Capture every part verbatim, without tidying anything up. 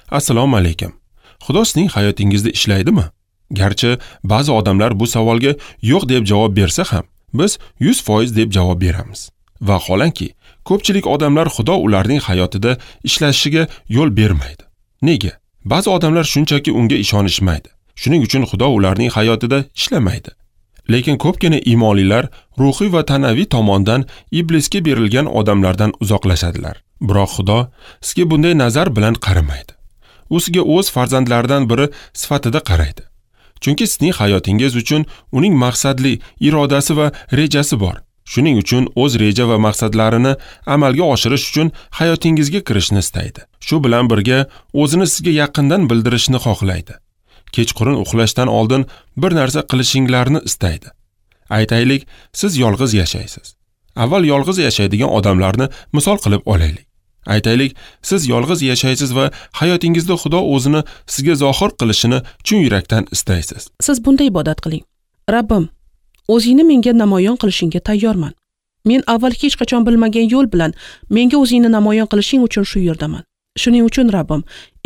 Assalomu alaykum. Xudo sizning hayotingizda ishlaydimi? Garchi ba'zi odamlar bu savolga yo'q deb javob bersa ham, biz yuz foiz deb javob beramiz. Vaholanki, ko'pchilik odamlar Xudo ularning hayotida ishlashiga yo'l bermaydi. Nega? Ba'zi odamlar shunchaki unga ishonishmaydi. Shuning uchun Xudo ularning hayotida ishlamaydi. Lekin ko'pgina iymonlilar ruhiy va tanaviy tomondan iblisga berilgan odamlardan uzoqlashadilar. Biroq Xudo sizga bunday nazar bilan qaramaydi. U sizga o'z farzandlaridan biri sifatida qaraydi. Chunki sizning hayotingiz uchun uning maqsadli irodasi va rejasi bor. Shuning uchun o'z reja va maqsadlarini amalga oshirish uchun hayotingizga kirishni istaydi. Shu bilan birga o'zini sizga yaqindan bildirishni xohlaydi. Kechqurun uxlashdan oldin bir narsa qilishinglarni istaydi. Aytaylik, siz yolg'iz yashaysiz. Avval yolg'iz yashaydigan odamlarni misol qilib olaylik. Aytaylik, siz yolg'iz yashaysiz va hayotingizda Xudo o'zini sizga zohir qilishini chin yurakdan istaysiz. Siz bunday ibodat qiling. Rabbim, o'zingni menga namoyon qilishingga tayyorman. Men avval hech qachon bilmagan yo'l bilan menga o'zingni namoyon qilishing uchun shu yerdaman. Shuning uchun Rabbim,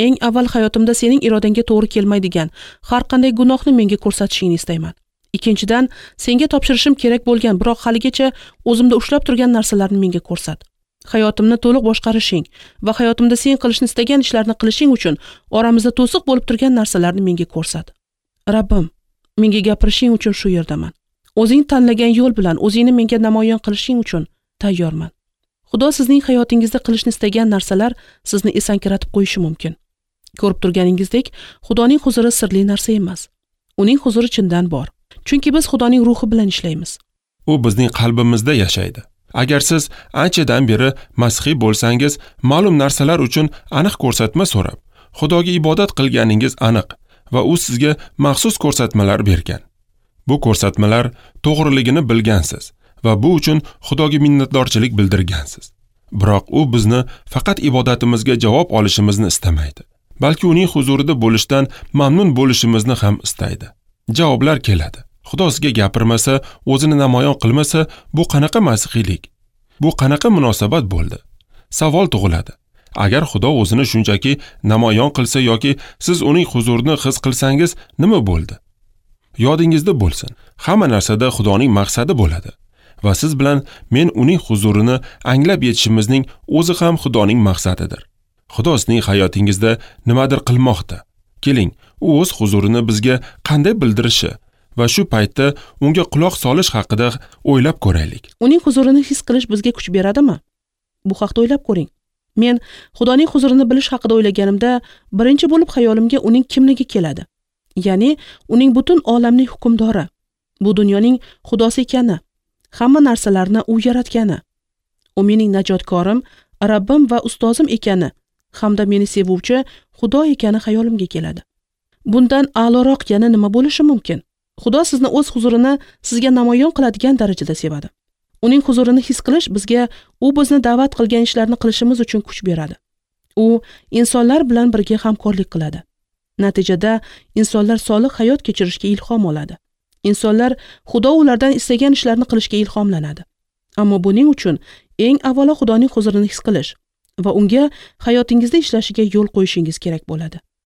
eng avval hayotimda sening irodangga to'g'ri kelmaydigan har qanday gunohni menga ko'rsatishingni istayman. Ikkinchidan, senga topshirishim kerak bo'lgan, biroq haligacha o'zimda ushlab turgan narsalarni menga ko'rsat. Hayotimni to'liq boshqarishing va hayotimda sen qilishni istagan ishlarni qilishing uchun oramizda to'siq bo'lib turgan narsalarni menga ko'rsat. Rabbim, menga gapirishing uchun shu yerdaman. O'zing tanlagan yo'l bilan o'zingni menga namoyon qilishing uchun tayyorman. Xudo sizning hayotingizda qilishni istagan narsalar sizni esankiratib qo'yishi mumkin. Ko'rib turganingizdek, Xudoning huzuri sirli narsa emas. Uning huzuri chindan bor. Chunki biz Xudoning ruhi bilan ishlaymiz. U bizning qalbimizda yashaydi. Agar siz anchadan beri masihiy bo'lsangiz, ma'lum narsalar uchun aniq ko'rsatma so'rab, Xudoga ibodat qilganingiz aniq va u sizga maxsus ko'rsatmalar bergan. Bu ko'rsatmalar to'g'riligini bilgansiz va bu uchun Xudoga minnatdorchilik bildirgansiz. Biroq u bizni faqat ibodatimizga javob olishimizni istamaydi, balki uning huzurida bo'lishdan mamnun bo'lishimizni ham istaydi. Javoblar keladi. Xudo sizga gapirmasa, o'zini namoyon qilmasa, bu qanaqa masihiylik? Bu qanaqa munosabat bo'ldi? Savol tug'iladi. Agar Xudo o'zini shunchaki namoyon qilsa yoki siz uning huzurini his qilsangiz, nima bo'ldi? Yodingizda bo'lsin, hamma narsada Xudoning maqsadi bo'ladi va siz bilan men uning huzurini anglab yetishimizning o'zi ham Xudoning maqsadidir. Xudo sizning hayotingizda nimadir qilmoqda. Keling, u o'z huzurini bizga qanday bildirishi va shu paytda unga quloq solish haqida o'ylab ko'raylik. Uning huzurini his qilish bizga kuch beradimi? Bu haqda o'ylab ko'ring. Men Xudoning huzurini bilish haqida o'ylaganimda birinchi bo'lib xayolimga uning kimligi keladi. Ya'ni uning butun olamning hukmdori, bu dunyoning xudosi ekani, hamma narsalarni u yaratgani, u mening najotkorim, Rabbim va ustozim ekani hamda meni sevuvchi Xudo ekani xayolimga keladi. Bundan a'loroq yana nima bo'lishi mumkin? Xudo sizni o'z huzurini sizga namoyon qiladigan darajada sevadi. Uning huzurini his qilish bizga u bizni da'vat qilgan ishlarni qilishimiz uchun kuch beradi. U insonlar bilan birga hamkorlik qiladi. Natijada insonlar solih hayot kechirishga ilhom oladi. Insonlar Xudo ulardan istagan ishlarni qilishga ilhomlanadi. Ammo buning uchun eng avvalo Xudoning huzurini his qilish va unga hayotingizda ishlashiga yo'l qo'yishingiz kerak bo'ladi.